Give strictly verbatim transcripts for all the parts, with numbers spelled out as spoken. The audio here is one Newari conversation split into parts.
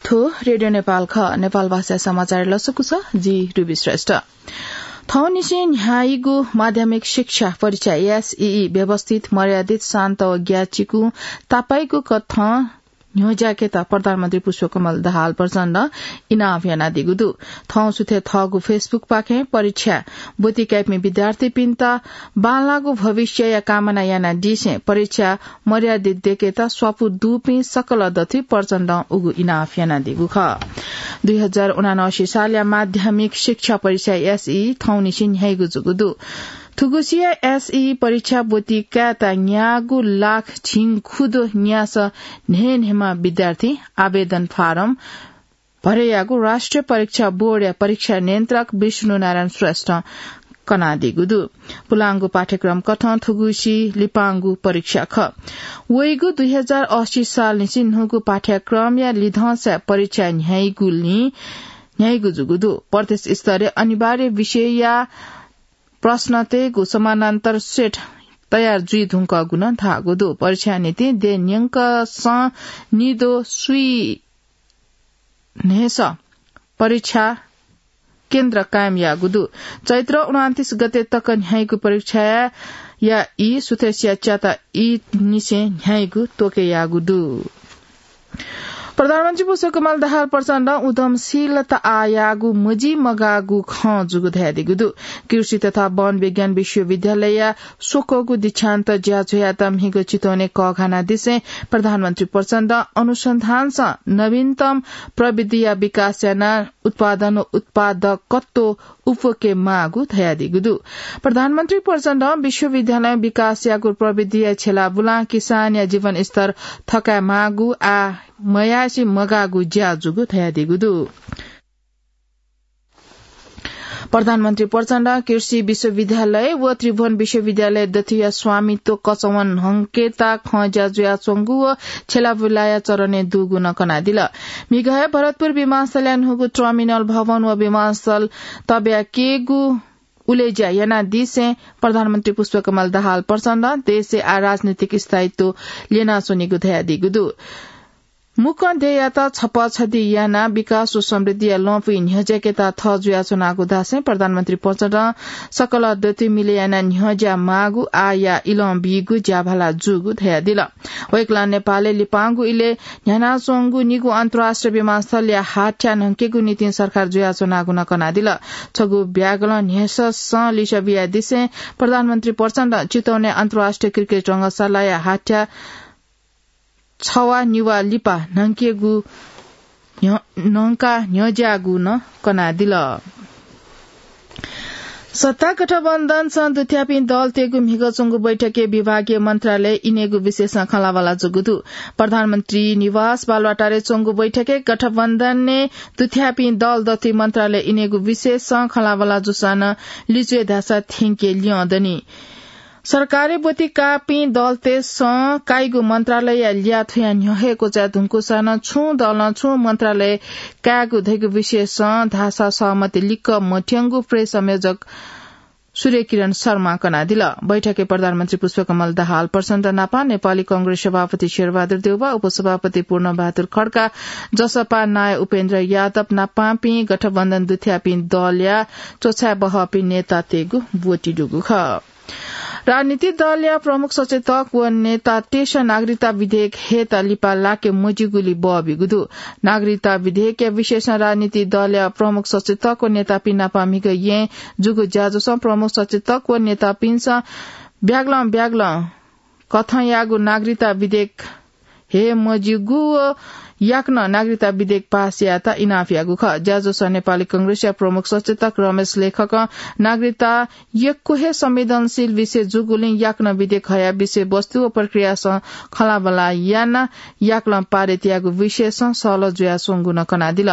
थ्व रेडियो नेपाल खः। नेपाल भाषा समाचार लसकुस, जि रुबी श्रेष्ठ। थौंनिसें न्ह्याइगु माध्यमिक शिक्षा परीक्षा एसईई व्यवस्थित, मर्यादित, शान्त व ग्याचिकु तापाइगु कथं न्ह्यज्याकेत प्रधानमन्त्री पुष्पकमल दाहाल प्रचण्ड इनाप यानादीगु दु। थौं सुथे थःगु Facebook पाखें परीक्षा ब्वति काइपिं विद्यार्थीपिन्त बांलाःगु भविष्यया कामना यानादीसें परीक्षा मर्यादित देकेत स्वापू दुपिं सकल दथुइ प्रचण्डं उगु इनाप यानादीगु खः। दुई हजार उनासी सालया माध्यमिक शिक्षा परीक्षा एसईई थौंनिसें न्ह्याइगु जूगु दु। थुगुसिया एसईई परीक्षा ब्वति कायेत न्यागू लाख झिंखुदु न्यासः न्हय्‌न्हय्‌म्ह विद्यार्थीं आवेदन फारम भरेयागु राष्ट्रिय परीक्षा बोर्डया परीक्षा नियन्त्रक विष्णु नारायण श्रेष्ठं कनादीगु दु। पुलांगु पाठ्यक्रम कथं थुगुसी लिपांगु परीक्षा खः। वइगु दुई हजार अस्सी सालनिसें न्हूगु पाठ्यक्रमया लिधंसा परीक्षा न्ह्याइगुलिं न्ह्याइगु जूगु दु। प्रदेश स्तरीय अनिवार्य विषयया प्रश्नतय्‌गु समानान्तर सेट तयार जुइ धुंकूगु नं धाःगु दु। परीक्षा निंतिं देय् न्यंकसं निदँ स्वीन्हय्‌सः परीक्षा केन्द्र कायम याःगु दु। चैत्र उनन्तीस गते तक न्ह्याइगु परीक्षाया ई सुथसिया च्याता ई निसें न्ह्याइगु त्वःके याःगु दु। प्रधानमन्त्री पुष्पकमल दाहाल प्रचण्डं उद्यमशीलता आः याःगु मजिमगाःगु खँ जूगु धयादीगु दु। कृषि तथा वन विज्ञान विश्वविद्यालयया स्वक्वःगु दीक्षान्त ज्याझ्वःयात म्हिगः चितवनय् कःघानादिसें प्रधानमन्त्री प्रचण्डं अनुसन्धानसं नवीनतम प्रविधिया विकास यानाः उत्पादन व उत्पादकत्व उप्वके माःगु धयादीगु दु। प्रधानमन्त्री प्रचण्डं विश्वविद्यालयं विकास याःगु प्रविधिया छेला बुलां किसानया जीवनस्तर थकाये माःगु आः मयासें मगाःगु ज्या जूगु धयादीगु दु। प्रधानमन्त्री प्रचण्डं कृषि विश्वविद्यालय व त्रिभुवन विश्वविद्यालय दथुया स्वामित्व कचवं न्हंकेत खँ ज्या जुयाच्वंगु व छेला बुलाया चरणय् दुगु नं कनादिल। म्हिगः हे भरतपुर विमानस्थलया न्हूगु टर्मिनल भवन व विमानस्थल तब्याकेगु उलेज्या यानादिसें प्रधानमन्त्री पुष्पकमल दाहाल प्रचण्डं देशय् आः राजनीतिक स्थायित्व ल्यनाच्वनीगु धयादीगु दु। मुक्कं देय्‌यात छप्पा छधि यानाः विकास व समृद्धिया लँपुइ न्ह्यज्याकेत थः जुयाच्वनागु धासें प्रधानमन्त्री प्रचण्डं सकल दथुइ मिले यानाः न्ह्यज्या माःगु आःया इलं बीगु ज्याभाला जूगु धयादिल। वय्‌कलं नेपालय् लिपांगु इलय् न्ह्यानाच्वंगु निगू अन्तर्राष्ट्रिय विमानस्थलया हाथ्या न्हंकेगु निंतिं सरकार जुयाच्वनागु नं कनादिल। छगू ब्यागलं न्ह्यससं लिसः बियादिसें प्रधानमन्त्री प्रचण्डं चितवनय् अन्तर्राष्ट्रिय क्रिकेट रंगशालाया हाथ्या छवा निवा लिपा न्हंकेगु न्ह-, न्हंका न्ह्यज्याःगु नं कनादिल। सत्ता गठबन्धनसं दुथ्याःपिं दलतय्‌गु म्हिगः च्वंगु बैठकय् विभागीय मन्त्रालय इनेगु विषयसं खँल्हाबल्हा जूगु दु। प्रधानमन्त्री निवास बालुवाटारय् च्वंगु बैठकय् गठबन्धनय् दुथ्याःपिं दल दथुइ मन्त्रालय इनेगु विषयसं खँल्हाबल्हा जूसां नं लिच्वय् धाःसा थ्यंके ल्यं दनि। सरकारय् ब्वति काःपिं दलतय्‌सं काइगु मन्त्रालयया ल्याः थुया न्ह्यः हे क्वचाये धुंकूसां नं छुं दलं छुं मन्त्रालय कायेगु धइगु विषयसं धाःसा सहमति लिक्क मथ्यंगु प्रेस संयोजक सूर्यकिरण शर्मां कनादिल। बैठकय् प्रधानमन्त्री पुष्पकमल दाहाल प्रचण्ड नापं नेपाली कांग्रेस सभापति शेरबहादुर देउवा, उपसभापति पूर्णबहादुर खड्का, जसपा नायः उपेन्द्र यादव नापांपिं गठबन्धन दुथ्याःपिं दलया च्वछाय् बहःपिं नेतातय्‌गु ब्वति दुगु खः। राजनीतिक दलया प्रमुख सचेतक व नेतातय्‌सं नागरिकता विधेयक हयेत लिपा लाके मज्यूगुली बः ब्यूगु दु। नागरिकता विधेयकया विषयसं राजनीतिक दलया प्रमुख सचेतक व नेतापिं नाप म्हिगः येँ जूगु ज्याझ्वलय् प्रमुख सचेतक व नेतापिन्सं ब्यागलं ब्यागलं कथंयागु नागरिकता विधेयक हये मज्यूगु व याकनं नागरिकता विधेयक पास यायेत इनाप याःगु खः। ज्याझ्वलय् नेपाली कांग्रेसया प्रमुख सचेतक रमेश लेखकं नागरिकता यक्व हे संवेदनशील विषय जूगुलिं याकनं विधेयक हया विषयवस्तु व प्रक्रियासं खँल्हाबल्हा यानाः याकनं पारित यायेगु विषयसं सहलह जुयाच्वंगु नं कनादिल।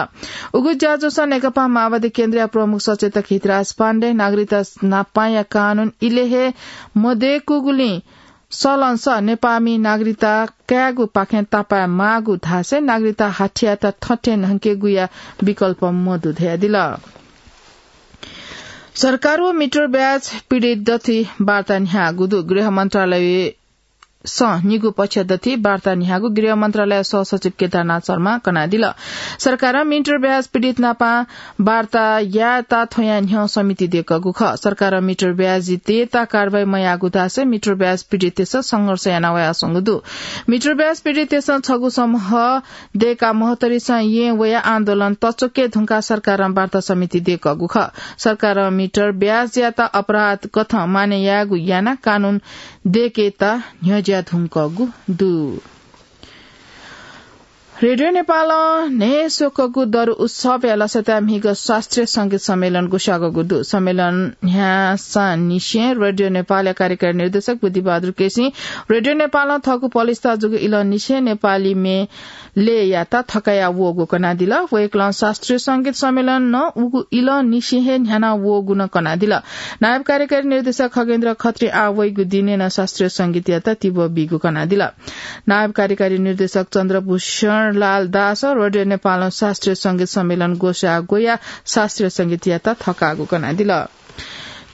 उगु ज्याझ्वलय् नेकपा माओवादी केन्द्रया प्रमुख सचेतक हितराज पाण्डे नागरिकता नापांया कानून इलय् हे मदय्‌कूगुलिं सलंसं नेपाःमि नागरिकता कायेगु पाखें तापाय् माःगु धासें नागरिकता हाथ्यात थथे न्हंकेगुया विकल्प मदु धयादिल। सरकार व मिटर ब्याज पीडित दथुइ वार्ता न्ह्याःगु दु। गृह मन्त्रालय सं निगू पक्ष दथि वार्ता न्ह्यागु गृह मन्त्रालय सहसचिव केदारनाथ शर्मा कनादिल। सरकारं मिटर ब्याज पीडित नापं वार्ता यायेत थ्वया न्ह्यः समिति दय्कःगु खः। सरकारं मिटर ब्याज तयेत कारवाही मयाःगु धासें मिटर ब्याज पीडिततय्सं संघर्ष याना वयाच्वंगु दु। मिटर ब्याज पीडिततय्सं छगू समूह दय्काः महोत्तरीसं येँ वयाः आन्दोलन तच्वके धुंकाः सरकारं वार्ता समिति दय्कःगु खः। सरकारं मिटर ब्याजयात अपराध कथं मानय् यायेगु यानाः कानून दय्केत न्ह्यज्या धुंकूगु दु। रेडियो नेपालं न्हय् स्वकूगु दरु उत्सवया लसताय् म्हिगः शास्त्रीय संगीत सम्मेलन ग्वसाःगु दु। सम्मेलन न्ह्यासांनिसें रेडियो नेपालया कार्यकारी निर्देशक बुद्धिबहादुर केसीं रेडियो नेपालं थःगु पलिस्था जूगु इलंनिसें नेपाली म्ये लय्यात थकाया वःगु कनादिल। वय्कलं शास्त्रीय संगीत सम्मेलन नं उगु इलंनिसें हे न्ह्याना वःगु नं कनादिल। नायब कार्यकारी निर्देशक खगेन्द्र खत्री आः वइगु दिनय् नं शास्त्रीय संगीतयात तिबः बीगु कनादिल। नायब कार्यकारी निर्देशक चन्द्रभूषण लाल दासं रेडियो नेपालं शास्त्रीय संगीत सम्मेलन ग्वसाः ग्वयाः शास्त्रीय संगीतयात थकाःगु कनादिल।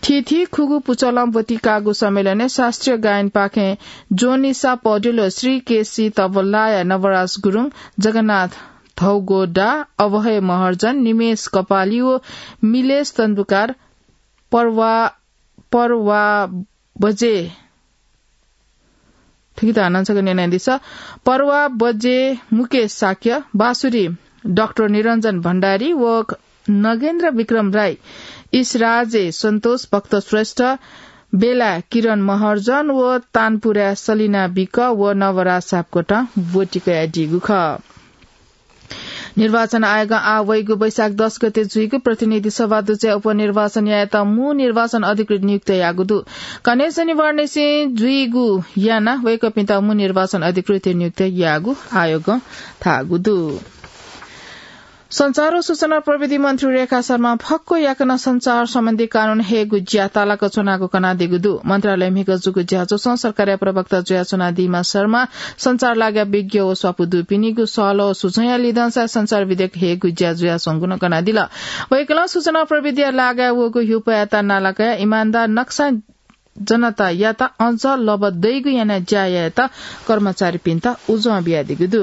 थीथी खुगू पुचलं ब्वति काःगु सम्मेलनय् शास्त्रीय गायनपाखें जोनिसा पौडेल व श्री केसी तबलाया नवराज गुरुङ, जगन्नाथ धौगोडा, अभय महर्जन, निमेश कपाली व मिलेश तन्दुकार, पर्वा, पर्वा बजे, थुकित हानं छकः न्यनादिसँ। पर्वा बजे मुकेश शाक्य, बाँसुरी डाक्टर निरञ्जन भण्डारी व नगेन्द्र विक्रम राई, इसराजे सन्तोष भक्त श्रेष्ठ, बेला किरण महर्जन व तानपुरा सलिना विक व नवराज सापकोटं ब्वति कयादीगु खः। निर्वाचन आयोगं आः वइगु वैशाख दस गते जुइगु प्रतिनिधि सभा दुजया उपनिर्वाचन यायेत मू निर्वाचन अधिकृत नियुक्त याःगु दु। कन्हय् शनिबारनिसें जुइगु यानाः वय्कःपिन्त मू निर्वाचन अधिकृत नियुक्त याःगु आयोगं धाःगु दु। सञ्चार व सूचना प्रविधि मन्त्री रेखा शर्मां फक्व याकनं सञ्चार सम्बन्धी कानून हयेगु ज्या तालाक च्वनागु कनादीगु दु। मन्त्रालयय् म्हिगः जूगु ज्याझ्वलय् सरकारया प्रवक्ता जुयाच्वनादीम्ह शर्मां सञ्चार लागाय् विज्ञ व स्वापू दुपिनिगु सहलह व सुझावया लिधंसाय् सञ्चार विधेयक हयेगु ज्या जुयाच्वंगु नं कनादिल। वय्कलं सूचना प्रविधिया लागाय् वःगु ह्युपयात नाला कयाः इमानदार नक्सा जनतायात अझ लबा दइगु यानाः ज्या यायेत कर्मचारीपिन्त उजं बियादीगु दु।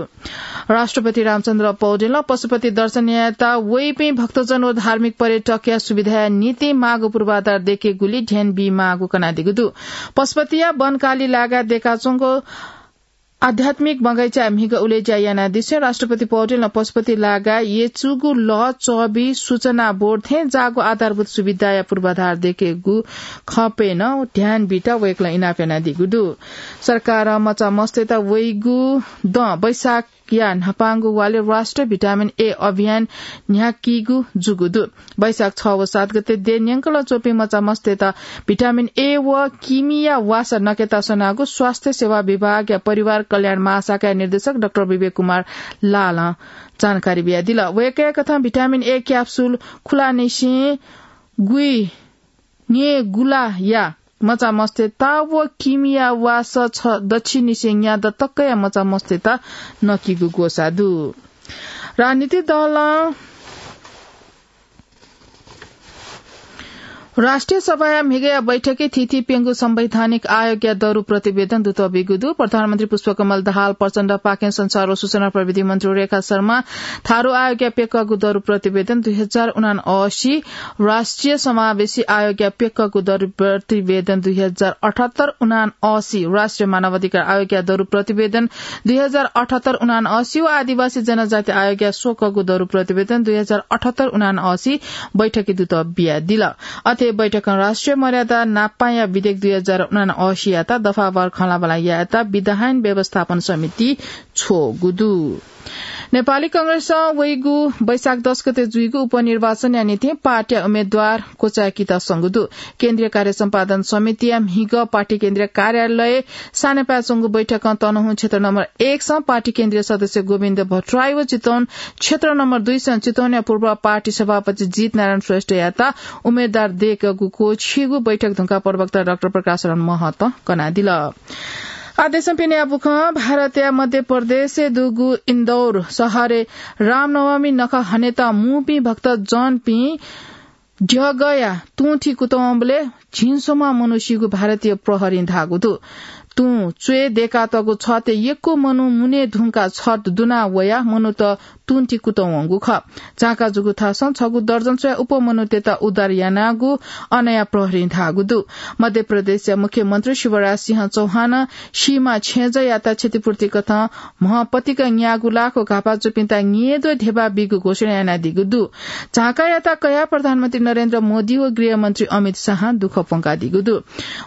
राष्ट्रपति रामचन्द्र पौडेलं पशुपति दर्शन यायेत वइपिं भक्तजन व धार्मिक पर्यटकया सुविधाया निंतिं माःगु पूर्वाधार दयेकेगुली ध्यान बीमाःगु कनादीगु दु। पशुपतिया वनकाली लागाय् दयेकाच्वंगु आध्यात्मिक बगैँचाय् म्हिगः उलेज्या यानादिसें राष्ट्रपति पौडेलं पशुपति लागाय् यचुगु लः, चबि, सूचना बोर्ड थें जाःगु आधारभूत सुविधाया पूर्वाधार दयेकेगु खँपय् नं ध्यान बीत वय्कलं इनाप यानादीगु दु। सरकारं मचामस्तय्त वइगु दँ वैशाखया न्हापांगु वालय् राष्ट्रिय भिटामिन ए अभियान न्ह्याकीगु जूगु दु। वैशाख छ व सात गते देय् न्यंकलं च्वंपिं मचामस्तय्त भिटामिन ए व किमिया वासः नकेत स्वनागु स्वास्थ्य सेवा विभागया परिवार कल्याण महाशाखाया निर्देशक डाक्टर विवेक कुमार लालं जानकारी बियादिल। वय्कःया कथं भिटामिन ए क्याप्सुल खुलाःनिसें गुइन्हय् गुलाया मचामस्तय्त व किमिया वासः छ दच्छिनिसें न्यादँ तकया मचामस्तय्त नकीगु ग्वसाः दु। राजनीतिक दलं राष्ट्रिय सभाया म्हिगःया बैठकय् थीथी प्यंगू संवैधानिक आयोगया दरु प्रतिवेदन दुत बीगु दु। प्रधानमन्त्री पुष्पकमल दाहाल प्रचण्डपाखें सञ्चार व सूचना प्रविधि मन्त्री रेखा शर्मा थारु आयोगया प्यकःगु दरु प्रतिवेदन दुई हजार उनासी, राष्ट्रिय समावेशी आयोगया प्यकःगु दरु प्रतिवेदन दुई हजार अठहत्तर उनासी, राष्ट्रिय मानवाधिकार आयोगया दरु प्रतिवेदन दुई हजार अठहत्तर उनासी व आदिवासी जनजाति आयोगया स्वकःगु दरु प्रतिवेदन दुई हजार अठहत्तर उनासी बैठकय् दुत बियादिल। अथे बैठकं राष्ट्रिय मर्यादा नापांया विधेयक दुई हजार उनासीयात दफावार खँल्हाबल्हा यायेत विधायन व्यवस्थापन समिति छ्वःगु दु। नेपाली कांग्रेसं वइगु वैशाख दस गते जुइगु उपनिर्वाचनया निंतिं पार्टीया उम्मेदवार क्वचाय्केत संगु दु। केन्द्रीय कार्य सम्पादन समितिया म्हिगः पार्टी केन्द्रीय कार्यालय सानेपाय् च्वंगु बैठकं तनहुँ क्षेत्र नम्बर एक सं पार्टी केन्द्रीय सदस्य गोविन्द भट्टराई व चितवन क्षेत्र नम्बर दुई सं चितवनया पूर्व पार्टी सभापति जीत नारायण श्रेष्ठयात उम्मेदवार दय्कःगु क्वःछिइगु बैठक धुंकाः प्रवक्ता डाक्टर प्रकाश शरण महतं कनादिल। आः देशं पिने याःगु खँ। भारतया मध्य प्रदेशय् दुगु इन्दौर शहरय् रामनवमी नखः हनेत मूपिं भक्तजनपिं द्यःगया तुंथि कुतुंबलय् झिंस्वम्ह मनू सीगु भारतीय प्रहरीं धाःगु दु। तुं च्वय् दय्कातःगु छतय् यक्व मनू मुने धुंकाः छत दुना वयाः मनूत तुंति कुतः वंगु खः। झांका जूगु थासं छगू दर्जन स्वयाः उप मनूतय्त उद्धार यानागु अनया प्रहरीं धाःगु दु। मध्य प्रदेशया मुख्यमन्त्री शिवराज सिंह चौहानं सीमा छेँजःयात क्षतिपूर्ति कथं म्ह पतिका न्यागू लाख व घापा जूपिन्त न्येद्वः ध्यबा बीगु घोषणा यानादीगु दु। झांकायात कयाः प्रधानमन्त्री नरेन्द्र मोदी व गृहमन्त्री अमित शाहं दुःख प्वंकादीगु दु।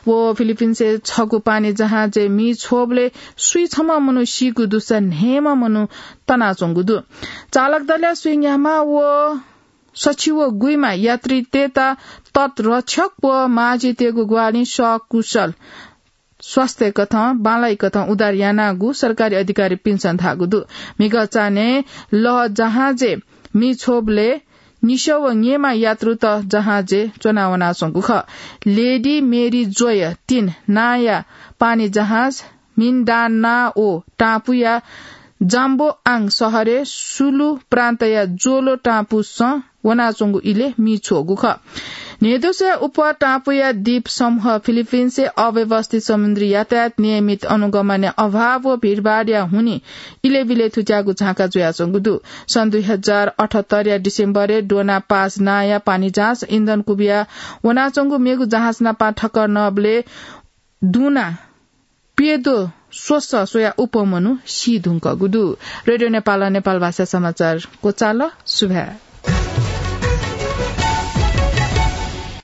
व फिलिपिन्सय् छगू पानी जहाजय् मि छ्वःबलय् स्वीछम्ह मनू सीगु दुसा न्हय्म्ह मनू तनाच्वंगु दु। चालक दलया स्वीन्याम्ह व सछि व गुइम्ह यात्रीतय्त तटरक्षक व माझितय्गु ग्वाहालिं सकुशल स्वास्थ्य कथं, बांलाइ कथं उद्धार यानागु सरकारी अधिकारीपिन्सं धाःगु दु। म्हिगः चान्हय् लः जहाजय् मि छ्वःबलय् निसः व न्येम्ह यात्रुत जहाजय् च्वनावनाच्वंगु खः। लेडी मेरी जोय तीन नांया पानी जहाज मिन्डानाओ टापुया जाम्बोआङ शहरय् सुलु प्रान्तया जोलो टापुसं वनाच्वंगु इलय् मि छ्वःगु खः। न्हय्दसय् उप टापुया द्वीप समूह फिलिपिन्सय् अव्यवस्थित समुद्री यातायात, नियमित अनुगमनया अभाव व भीडभाडया हुनिं इलय् बिलय् थुत्याःगु झांका जुयाच्वंगु दु। सन् दुई हजार अठहत्तरया डिसेम्बरय् डोना पास नांया पानी जहाज इन्धन कुबिया वनाच्वंगु मेगु जहाज नापं ठक्कर नःबलय् दुना प्यद्वः स्वसः स्वयाः उप मनू सी धुंकूगु दु। रेडियो नेपालं नेपाल भाषा समाचार क्वचाल। सुभाय्।